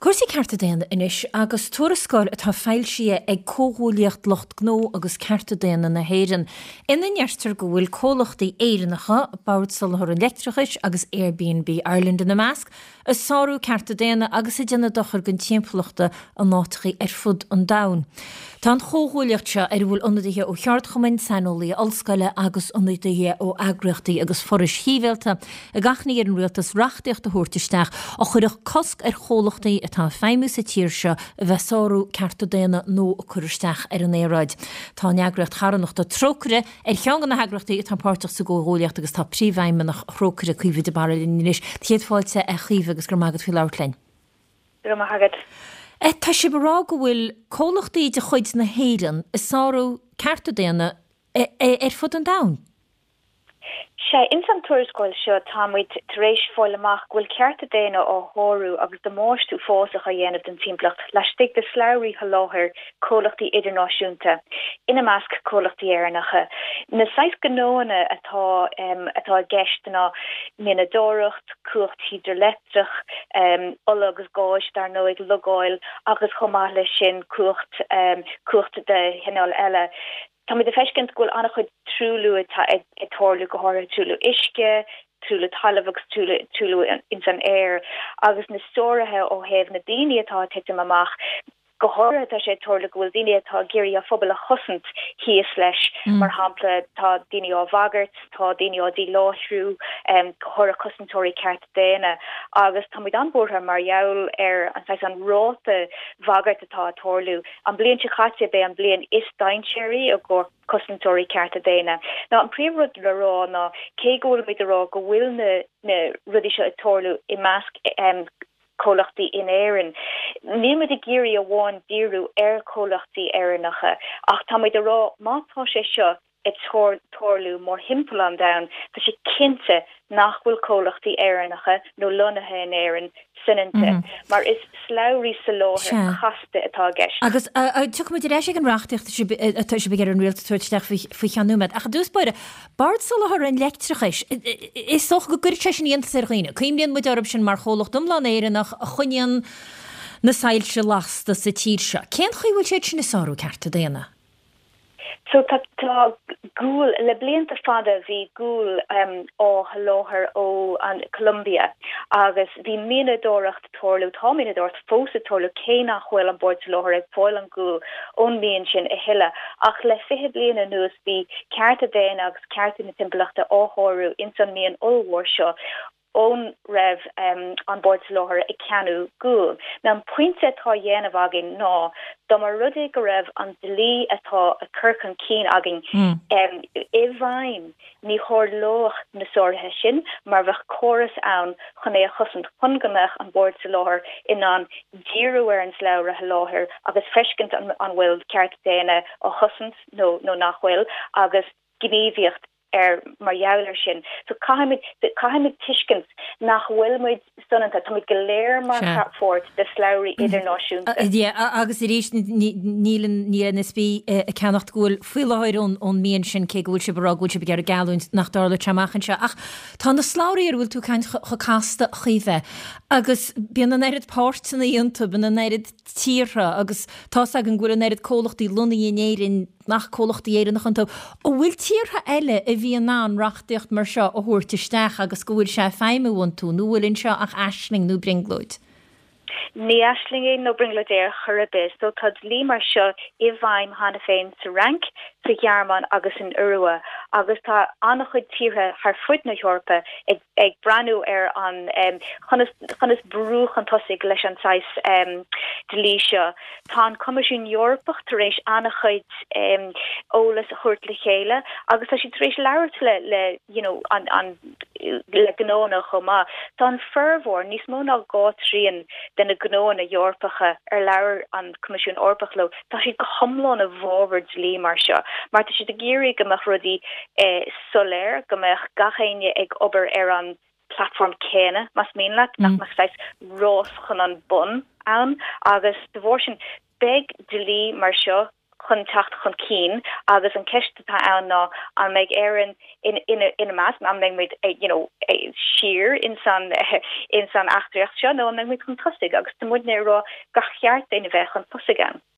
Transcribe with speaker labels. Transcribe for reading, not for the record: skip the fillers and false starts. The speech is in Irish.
Speaker 1: Cúrsaí cearta daonna anois agus tuarascáil atá foilsithe ag Comhghuaillíocht Lucht Gnó agus Cearta Daonna na hÉireann ina ndeirtear go bhfuil comhlachtaí Éireannacha, Bord Soláthair an Leictreachais agus Airbnb Ireland ina measc, ag sárú cearta daonna agus ag déanamh dochair don timpeallachta in áiteachaí ar fud an domhain. Tá an chomhghuaillíocht seo, ar a bhfuil ionadaithe ó cheardchumainn, saineolaithe ollscoile agus ionadaithe ó eagraíochtaí agus forais shibhialta, ag achainí ar an rialtas reachtaíocht a thabhairt isteach a chuirfeadh cosc ar chomhlachtaí atá ag feidhmiú sa tír seo a bheith ag sárú cearta daonna nó ag cur isteach ar an aeráid. Tá an eagraíocht charthanachta Trócaire ar cheann de na heagraíochtaí atá páirteach sa gcomhghuaillíocht agus tá Príomhfheidhmeannach Thrócaire, Caoimhe de Barra linn anois. Céad fáilte a Chaoimhe agus go raibh maith agat faoi labhairt linn.
Speaker 2: Go raibh maith agat.
Speaker 1: Tá sibh ag rá go bhfuil comhlachtaí de chuid na hÉireann ag sárú cearta daonna ar fud an domhain.
Speaker 2: Sea, ins an tuarascáil seo tá muid tar éis fáil amach go bhfuil cearta daonna á shárú agus damáiste uafásach á dhéanamh don timpeallacht laistigh de shlabhraí sholáthair comhlachtaí idirnáisiúnta, ina measc comhlachtaí Éireannacha. Na saghas gnóanna atá atá i gceist ná mianadóireacht, cumhacht hidrileictreach, ola agus gáis dar ndóigh, logáil agus chomh maith leis sin cumhacht cumhacht de chineál eile. Táimid ag feiscint go bhfuil an-chuid truailliú ag tarlú, go háirithe truailliú uisce, truailliú talaimh agus truailliú ins an aer, agus na sáruithe ó thaobh na daoine atá ag titim amach. Go háirithe tá sé ag tarlú go bhfuil daoine atá ag iarraidh a phobal a chosaint thíos leis, mar shampla tá daoine á bhagairt, tá daoine á díláithriú, go háirithe cosantóirí cearta daonna, agus táimid an-bhuartha mar gheall ar an saghas an ráta bhagairt atá ag tarlú. An bliain seo caite b'é an bliain is dainséaraí i gcomhair cosantóirí cearta daonna. Now an príomh rud le rá ná cé go bhfuilimid ag rá go bhfuil na na rudaí seo ag tarlú i measc comhlachtaí in Éirinn, níl muid ag iarraidh amháin díriú ar chomhlachtaí Éireannacha ach tá muid ag rá má tá sé seo ag tarlú mórthimpeall an domhain, tá sé cinnte nach bhfuil comhlachtaí Éireannacha nó lonnaithe in Éirinn soineanta, mar is slabhraí soláthair casta atá i gceist.
Speaker 1: Agus tiocfaimid ar ais ag an reachtaíocht atá sibh ag iarraidh ar an rialtas a thabhairt isteach faoi cheann nóiméad. Ach i dtús báire, Bord Soláthair an Leictreachais, is dócha go gcuirfeadh sé sin iontas ar dhaoine. Cuimhníonn muid orthu sin mar chomhlacht iomlán Éireannach a choinníonn na soilse lasta sa tír seo. Cén chaoi a bhfuil siad sin ag sárú cearta daonna?
Speaker 2: So tá tá gual, le blianta fada bhí gual á sholáthar ó an Colombia agus bhí mianadóireacht ag tarlú, tá mianadóireacht fós ag tarlú cé nach bhfuil an Bord Soláthair ag fáil an gual ón mian sin a thuilleadh. Ach le 20 bliain anuas bhí cearta daonna agus cearta na timpeallachta á shárú ins an mian ollmhór seo. ón raibh an Bord Soláthair ag ceannú guail. Now an pointe atá á dhéanamh againn ná dá mba rud é go raibh an dlí atá á cur chun cinn againn i bhfeidhm ní tharlódh na sáruithe sin mar bheadh córas ann chun é a chosaint chun go mbeadh an Bord Soláthair in ann díriú ar an slabhra sholáthair agus feiscint an bhfuil cearta daonna á chosaint nó nó nach bhfuil agus gníomhaíocht ar mar gheall air sin. So caithfimid, caithfimid tuiscint nach bhfuil muid soineanta, tá muid go léir mar pháirt de slabhraí idirnáisiúnta.
Speaker 1: Yeah, agus arís níl an, níl ESB ag ceannacht guail faoi láthair ón, ón mian sin cé go bhfuil sibh ag rá go bhfuil sibh ag iarraidh geallúint nach dtarlóidh sé amach anseo. Ach tá na slabhraí ar a bhfuil tú ag caint chomh casta a Chaoimhe agus bíonn an oiread páirteanna iontu, bíonn an oiread tíortha agus tá's againn go bhfuil an oiread comhlachtaí lonnaithe in Éirinn nach comhlachtaí Éireannacha iontu. An bhfuil tíortha eile a bhí in ann reachtaíocht mar seo a thabhairt isteach agus go bhfuil sé ag feidhmiú iontu, nó an bhfuil anseo ach aisling nó brionglóid?
Speaker 2: Ní aisling é nó brionglóid é ar chor ar bith. So tá dlí mar seo i bhfeidhm cheana féin sa Fhrainc, sa Ghearmáin agus san Iorua agus tá an-chuid tíortha thar fud na hEorpa ag ag breathnú ar an chonas conas brú chun tosaigh leis an saghas dlí seo. Tá an Coimisiún Eorpach tar éis an-chuid eolas a thabhairt le chéile agus tá siad tar éis labhairt le le you know an an le gnóanna chomh maith. Tá an formhór, níos mó ná 2 trian de na gnóanna Eorpacha ar labhair an Coimisiún Eorpach leo, tá siad go hiomlán i bhfabhar dlí mar seo mar tá siad ag iarraidh go mbeadh rudaí soiléir, go mbeadh gach éinne ag obair ar an platform céanna, más mian leat, nach mbeadh saghas rás chun an bun ann agus de bharr sin beidh dlí mar seo. chun teacht chun cinn agus an ceist atá ann ná an mbeidh Éirinn ina measc, an mbeidh muid you know siar ins an ins an eachtraíocht seo nó an mbeidh muid chun tosaigh agus tá muidne ag rá gur cheart dúinn a bheith chun tosaigh ann.